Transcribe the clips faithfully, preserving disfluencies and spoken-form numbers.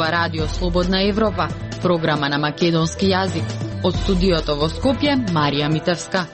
зборува Радио Слободна Европа, програма на македонски јазик. Од студиото во Скопје, Марија Митевска.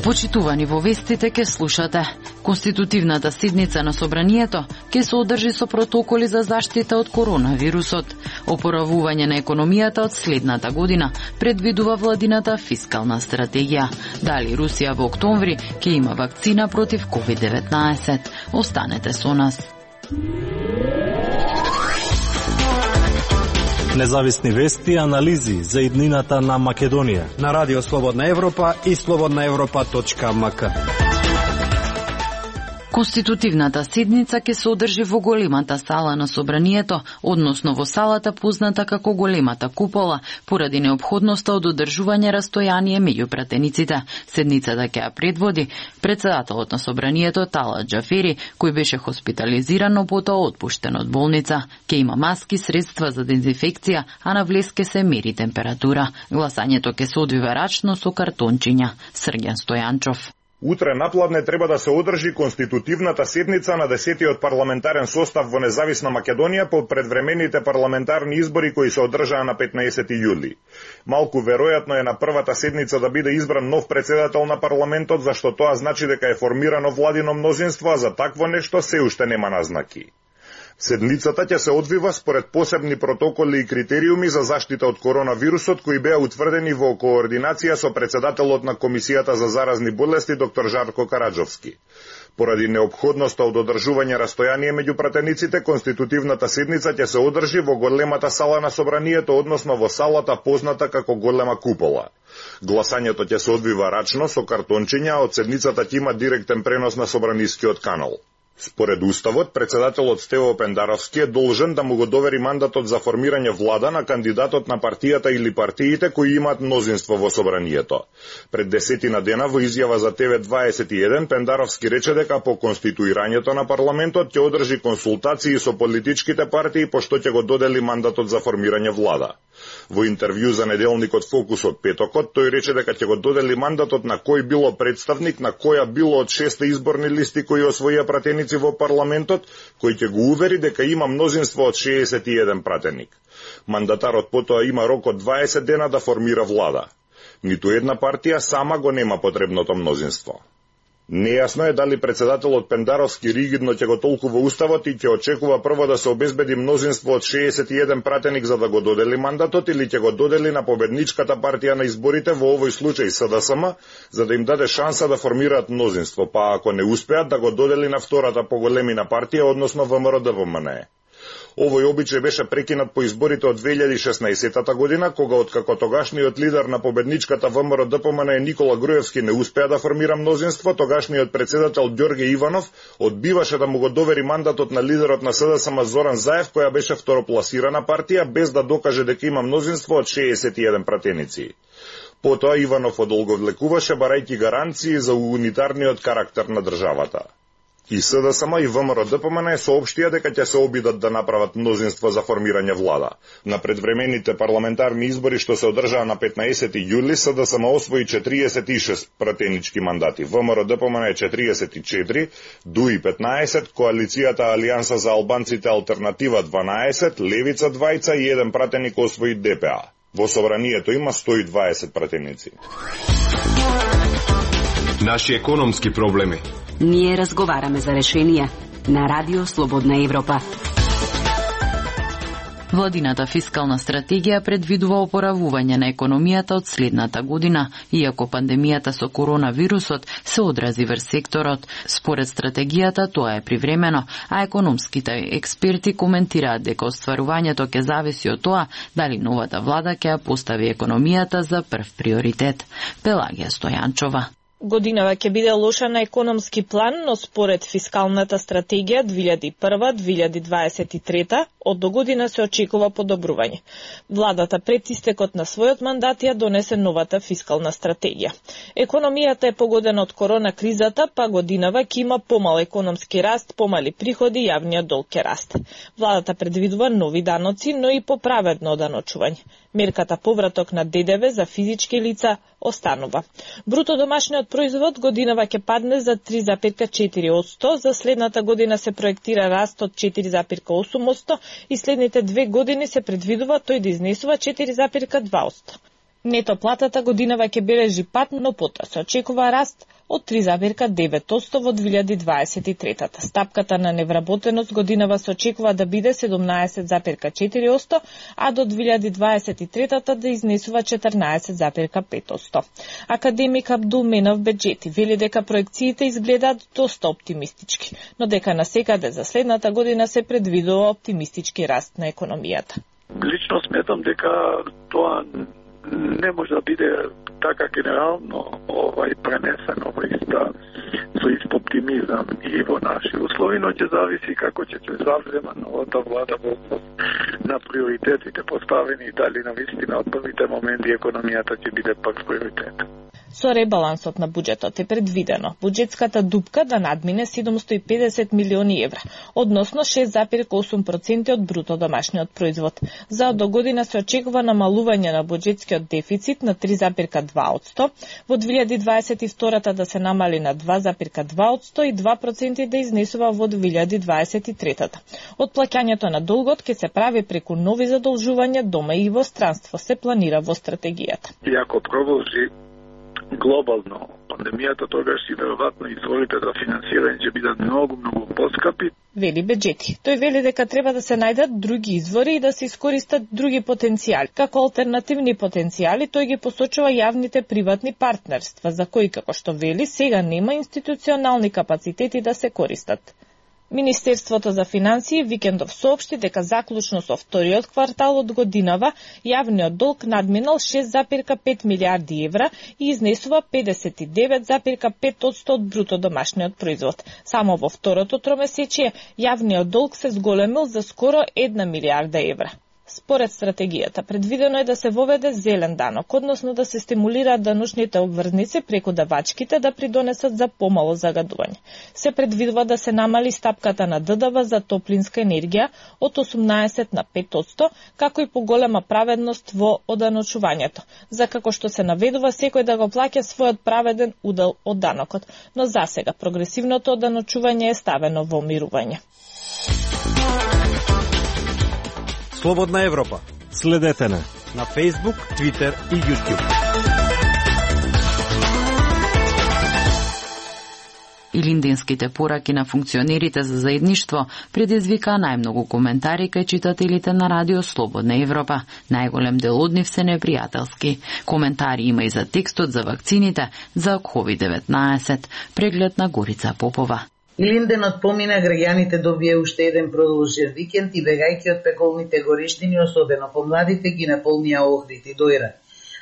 Почитувани, во вестите ке слушате. Конститутивната седница на Собранието ке се одржи со протоколи за заштита од коронавирусот. Опоравување на економијата од следната година предвидува владината фискална стратегија. Дали Русија во октомври ке има вакцина против ковид деветнаесет? Останете со нас. Независни вести и анализи за иднината на Македонија на Радио Слободна Европа и слободна европа точка ем ка. Конститутивната седница ќе се одржи во големата сала на Собранието, односно во салата позната како големата купола, поради неопходноста од одржување растојание меѓу пратениците. Седницата ќе ја предводи председателот на Собранието Талат Џафери, кој беше хоспитализиран, но потоа отпуштен од болница. Ќе има маски, средства за дезинфекција, а на влез ке се мери температура. Гласањето ќе се одвива рачно со картончиња. Срѓан Стојанчов. Утре напладне треба да се одржи конститутивната седница на десетиот парламентарен состав во независна Македонија по предвремените парламентарни избори кои се одржаа на петнаесети јули. Малку веројатно е на првата седница да биде избран нов председател на парламентот, зашто тоа значи дека е формирано владино мнозинство, а за такво нешто се уште нема назнаки. Седницата ќе се одвива според посебни протоколи и критериуми за заштита од коронавирусот кои беа утврдени во координација со председателот на Комисијата за заразни болести доктор Жарко Караджовски. Поради неопходноста од одржување растојание меѓу пратениците, конститутивната седница ќе се одржи во големата сала на Собранието, односно во салата позната како голема купола. Гласањето ќе се одвива рачно со картончиња, од седницата ќе има директен пренос на Собранискиот канал. Според Уставот, председателот Стево Пендаровски е должен да му го довери мандатот за формирање влада на кандидатот на партијата или партиите кои имаат мнозинство во Собранието. Пред десетина дена во изјава за Те Ве дваесет и еден Пендаровски рече дека по конституирањето на парламентот ќе одржи консултации со политичките партии пошто ќе го додели мандатот за формирање влада. Во интервју за неделникот Фокус од петокот, тој рече дека ќе го додели мандатот на кој било представник на која било од шесте изборни листи кои освоија пратеници во парламентот, кој ќе го увери дека има мнозинство од шеесет и еден пратеник. Мандатарот потоа има рок од дваесет дена да формира влада. Ниту една партија сама го нема потребното мнозинство. Нејасно е дали председателот Пендаровски ригидно ќе го толкува Уставот и ќе очекува прво да се обезбеди мнозинство од шеесет и еден пратеник за да го додели мандатот или ќе го додели на победничката партија на изборите, во овој случај С Д С М, за да им даде шанса да формираат мнозинство, па ако не успеат да го додели на втората поголемина партија, односно Вэ М Р Д П М Н Е. Овој обичај беше прекинат по изборите од две илјади и шеснаесета година, кога откако тогашниот лидер на победничката Вэ М Р Д П М Н Е Никола Груевски не успеа да формира мнозинство, тогашниот председател Ѓорге Иванов одбиваше да му го довери мандатот на лидерот на С Д С М Зоран Заев, која беше второпласирана партија, без да докаже дека има мнозинство од шеесет и еден пратеници. Потоа Иванов одолговлекуваше барајќи гаранции за унитарниот карактер на државата. И С Д С М и Вэ М Р Д П М Н Е соопштија дека ќе се обидат да направат мнозинство за формирање влада. На предвремените парламентарни избори што се одржаа на петнаесети јули, С Д С М освои четириесет и шест пратенички мандати, Вэ М Р Д П М Н Е четириесет и четири, Д У И петнаесет, Коалицијата Алијанса за албанците Алтернатива дванаесет, Левица двајца и еден пратеник освои Д П А. Во Собранието има сто и дваесет пратеници. Наши економски проблеми. Ние разговараме за решенија на Радио Слободна Европа. Владината фискална стратегија предвидува опоравување на економијата од следната година, иако пандемијата со коронавирусот се одрази врз секторот. Според стратегијата тоа е привремено, а економските експерти коментираат дека остварувањето ќе зависи од тоа дали новата влада ќе ја постави економијата за прв приоритет. Пелагија Стојанчова. Годинава ќе биде лоша на економски план, но според фискалната стратегија две илјади и прва до две илјади дваесет и трета од до година се очекува подобрување. Владата пред истекот на својот мандат ја донесе новата фискална стратегија. Економијата е погодена од корона кризата, па годинава ќе има помал економски раст, помали приходи, јавниот долг ќе расте. Владата предвидува нови даноци, но и поправедно даночување. Мерката повраток на Д Д В за физички лица останува. Бруто домашниот производ годинава ќе падне за три зарез и четири одсто, за следната година се проектира раст од четири зарез и осум одсто и следните две години се предвидува тој да изнесува четири зарез и два одсто. Нето платата годинава ќе бележи пад, но потоа се очекува раст од три зарез и девет одсто во две илјади дваесет и трета. Стапката на невработеност годинава се очекува да биде седумнаесет зарез и четири одсто, а до две илјади дваесет и трета да изнесува четрнаесет зарез и пет одсто. Академик Абдул Менав Беџети вели дека проекциите изгледаат доста оптимистички, но дека насекаде за следната година се предвидува оптимистички раст на економијата. Лично сметам дека тоа не може да биде така генерално овај пренесено во иста со ист оптимизам и во наши услови, но ќе зависи како ќе се завзема новата влада во на приоритетите поставени и дали навистина од првите моменти економијата ќе биде пак приоритет. Со ребалансот на буџетот е предвидено буџетската дупка да надмине седумсто и педесет милиони евра, односно шест зарез и осум проценти од бруто домашниот производ. За до година се очекува намалување на буџетскиот дефицит на три зарез и два одсто, во две илјади дваесет и втора да се намали на два зарез и два одсто и два проценти да изнесува во две илјади дваесет и трета. Отплаќањето на долгот ќе се прави преку нови задолжувања дома и во странство, се планира во стратегијата. И ако продолжи глобално пандемијата, тогаш и веројатно изворите за финансирање ќе бидат многу, многу поскапи. Вели Беџети. Тој вели дека треба да се најдат други извори и да се искористат други потенцијали. Како алтернативни потенцијали, тој ги посочува јавните приватни партнерства, за кои, како што вели, сега нема институционални капацитети да се користат. Министерството за финансии викендов соопшти дека заклучно со вториот квартал од годинава јавниот долг надминал шест зарез и пет милијарди евра и изнесува педесет и девет зарез и пет одсто од бруто домашниот производ. Само во второто тромесечие јавниот долг се зголемил за скоро една милијарда евра. Според стратегијата, предвидено е да се воведе зелен данок, односно да се стимулираат даночните обврзници преку давачките да придонесат за помало загадување. Се предвидува да се намали стапката на Д Д В за топлинска енергија од осумнаесет на пет одсто, како и поголема праведност во оданочувањето, за како што се наведува секој да го плаќа својот праведен удел од данокот, но засега прогресивното оданочување е ставено во мирување. Слободна Европа. Следете на на Facebook, Twitter и YouTube. Илинденските пораки на функционерите за заедништво предизвика најмногу коментари кај читателите на Радио Слободна Европа. Најголем дел од нив се непријателски. Коментари има и за текстот за вакцините за ковид деветнаесет. Преглед на Горица Попова. Илинденот помина, граѓаните добија уште еден продолжен викенд и бегајќи од пеколните горештини, особено помладите, ги наполнија Охрид и Дојра.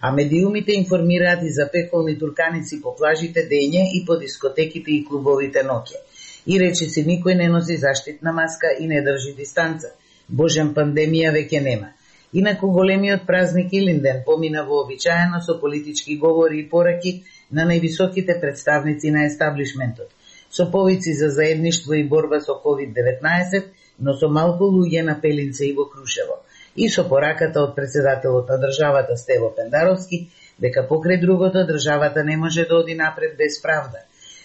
А медиумите информираат и за пеколни турканици по плажите дење и по дискотеките и клубовите ноќе. И речиси никој не носи заштитна маска и не држи дистанца. Божен, пандемија веќе нема. Инаку големиот празник Илинден помина вообичаено со политички говори и пораки на највисоките представници на естаблишментот, со повици за заедништво и борба со ковид деветнаесет, но со малку луѓе на Пелинце и во Крушево, и со пораката од председателот на државата Стево Пендаровски, дека покрај другото државата не може да оди напред без правда.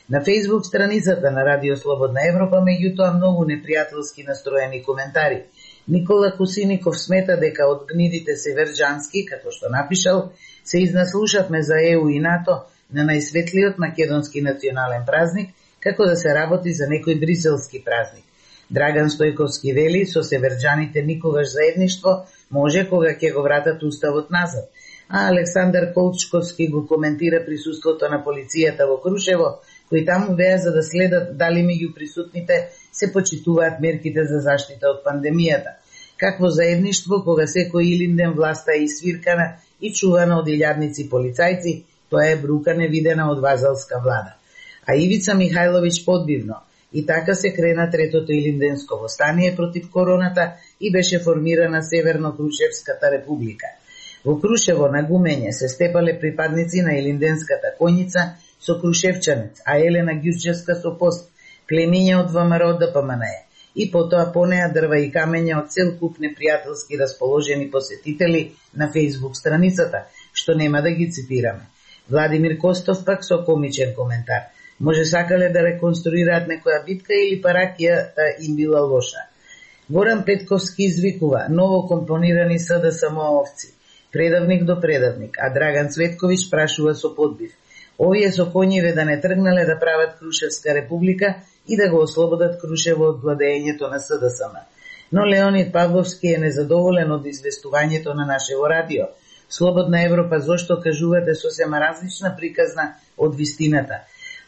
На Facebook страницата на Радио Слободна Европа, меѓутоа, многу непријателски настроени коментари. Никола Кусиников смета дека од гнидите северџански, како што напишал, се изнаслушавме за Е У и НАТО на најсветлиот македонски национален празник, како да се работи за некој бриселски празник. Драган Стојковски вели, со северџаните никогаш заедништво може кога ќе го вратат уставот назад. А Александар Колчковски го коментира присуството на полицијата во Крушево, кои таму беа за да следат дали меѓу присутните се почитуваат мерките за заштита од пандемијата. Какво заедништво кога секој Илинден власта е свиркана и чувана од илјадници полицајци, тоа е брука невидена од вазалска влада. А Ивица Михајловиќ подбивно. И така се крена третото Илинденско востание против короната и беше формирана Северно-Крушевската република. Во Крушево на гумење се степале припадници на Илинденската коњица со Крушевчанец, а Елена Ѓурчевска со пост, племиња од Вэ М Р Д П М Н Е. И потоа понеа дрва и камења од цел куп непријателски расположени посетители на Facebook страницата, што нема да ги цитираме. Владимир Костов пак со комичен коментар. Може сакале да реконструираат некоја битка или паракијата им била лоша. Горан Петковски извикува ново компонирани СДСМ-овци, предавник до предавник, а Драган Цветковиќ прашува со подбив. Овие со коњиве да не тргнале да прават Крушевска република и да го ослободат Крушево од владеењето на СДСМ. Но Леонид Павловски е незадоволен од известувањето на нашево радио. Слободна Европа зошто кажувате сосема различна приказна од вистината,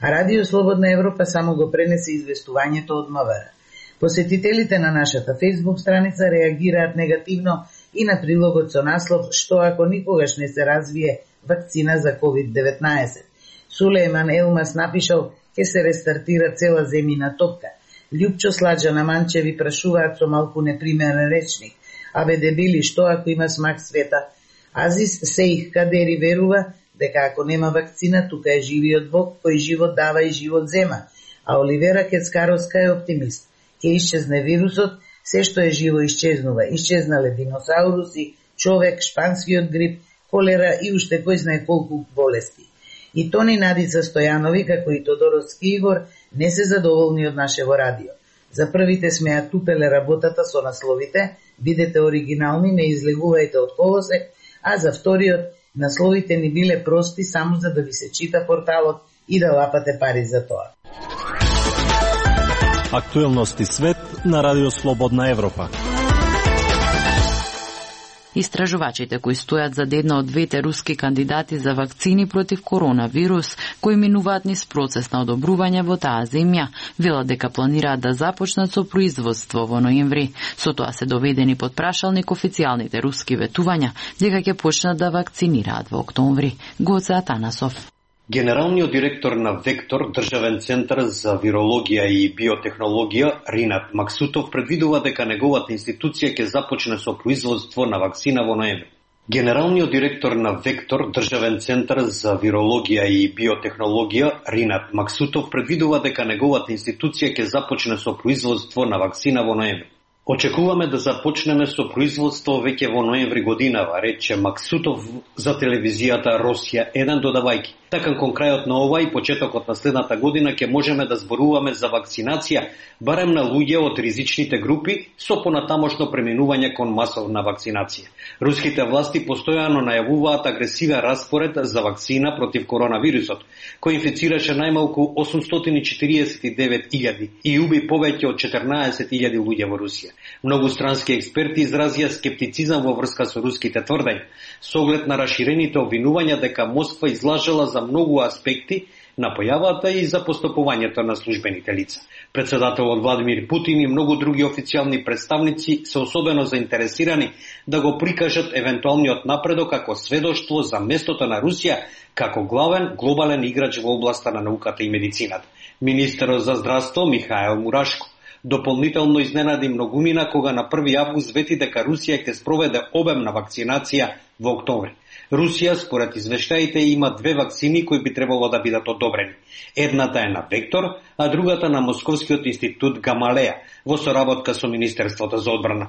а Радио Слободна Европа само го пренесе известувањето од МВР. Посетителите на нашата фејсбук страница реагираат негативно и на прилогот со наслов «Што ако никогаш не се развие вакцина за ковид деветнаесет». Сулейман Елмас напишал «Ке се рестартира цела земјина топка». Лјупчо Сладжа на Манчеви прашуваат со малку неприменен речник. Абе дебили, што ако има смак света? Азис Сеих Кадери верува дека ако нема вакцина, тука е живиот Бог, кој живот дава и живот зема. А Оливера Кецкаровска е оптимист. Ке исчезне вирусот, се што е живо исчезнува. Исчезнале диносауруси, човек, шпанскиот грип, колера и уште кој знае колку болести. И Тони Надица Стојанови, како и Тодоровски Игор, не се задоволни од нашево радио. За првите сме ја тупеле работата со насловите, бидете оригинални, не излегувајте од колосек, а за вториот, насловите ни биле прости само за да ви се чита порталот и да лапате пари за тоа. Актуелности свет на Радио Слободна Европа. Истражувачите кои стојат за една од двете руски кандидати за вакцини против коронавирус, кои минуваат низ процес на одобрување во таа земја, велат дека планираат да започнат со производство во ноември. Со тоа се доведени под прашалник официјалните руски ветувања дека ќе почнат да вакцинираат во октомври. Гоце Атанасов. Генералниот директор на Вектор, државен центар за вирологија и биотехнологија, Ринат Максутов, предвидува дека неговата институција ќе започне со производство на вакцина во ноември. Генералниот директор на Вектор, државен центар за вирологија и биотехнологија, Ринат Максутов, предвидува дека неговата институција ќе започне со производство на вакцина во ноември. Очекуваме да започнеме со производство веќе во ноември годинава, рече Максутов за телевизијата Росија еден, додавајќи. Така кон крајот на ова и почетокот на следната година ќе можеме да зборуваме за вакцинација, барем на луѓе од ризичните групи, со понатамошно преминување кон масовна вакцинација. Руските власти постојано најавуваат агресивен распоред за вакцина против коронавирусот, кој инфицираше најмалку осумстотини и четириесет и девет илјади и уби повеќе од четрнаесет илјади луѓе во Русија. Многу странски експерти изразија скептицизам во врска со руските тврдења, со оглед на раширените обвинувања дека Москва излажала за многу аспекти на појавата и за постапувањето на службените лица. Председателот Владимир Путин и многу други официјални представници се особено заинтересирани да го прикажат евентуалниот напредок како сведоштво за местото на Русија како главен глобален играч во областа на науката и медицината. Министерот за здравство Михаел Мурашко дополнително изненади многумина кога на први август вети дека Русија ќе спроведе обемна вакцинација во октомври. Русија, според извештаите, има две вакцини кои би требало да бидат одобрени. Едната е на Вектор, а другата на Московскиот институт Гамалеја, во соработка со Министерството за одбрана.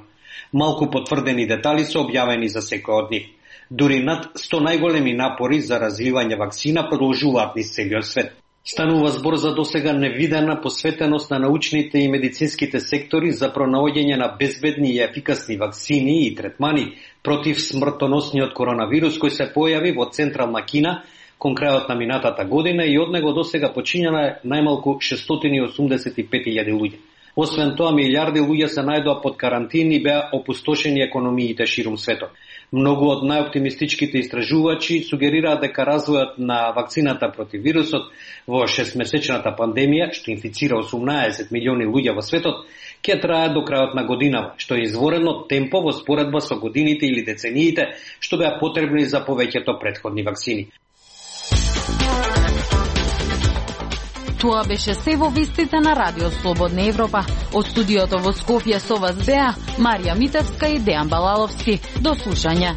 Малку потврдени детали се објавени за секој од нив. Дури над сто најголеми напори за развивање вакцина продолжуваат низ целиот свет. Станува збор за досега невидена посветеност на научните и медицинските сектори за пронаоѓање на безбедни и ефикасни вакцини и третмани против смртоносниот коронавирус кој се појави во Централна Кина кон крајот на минатата година и од него досега почињана најмалку шестстотини и осумдесет и пет илјади луѓе. Освен тоа, милиарди луѓе се најдоа под карантин и беа опустошени економиите ширум светот. Многу од најоптимистичките истражувачи сугерираат дека развојот на вакцината против вирусот во шестмесечната пандемија, што инфицира осумнаесет милиони луѓе во светот, ќе трае до крајот на годинава, што е изворено темпо во споредба со годините или децениите што беа потребни за повеќето претходни вакцини. Тоа беше се во вестите на Радио Слободна Европа. Од студиото во Скопје со вас беа Марија Митевска и Дејан Балаловски. До слушање.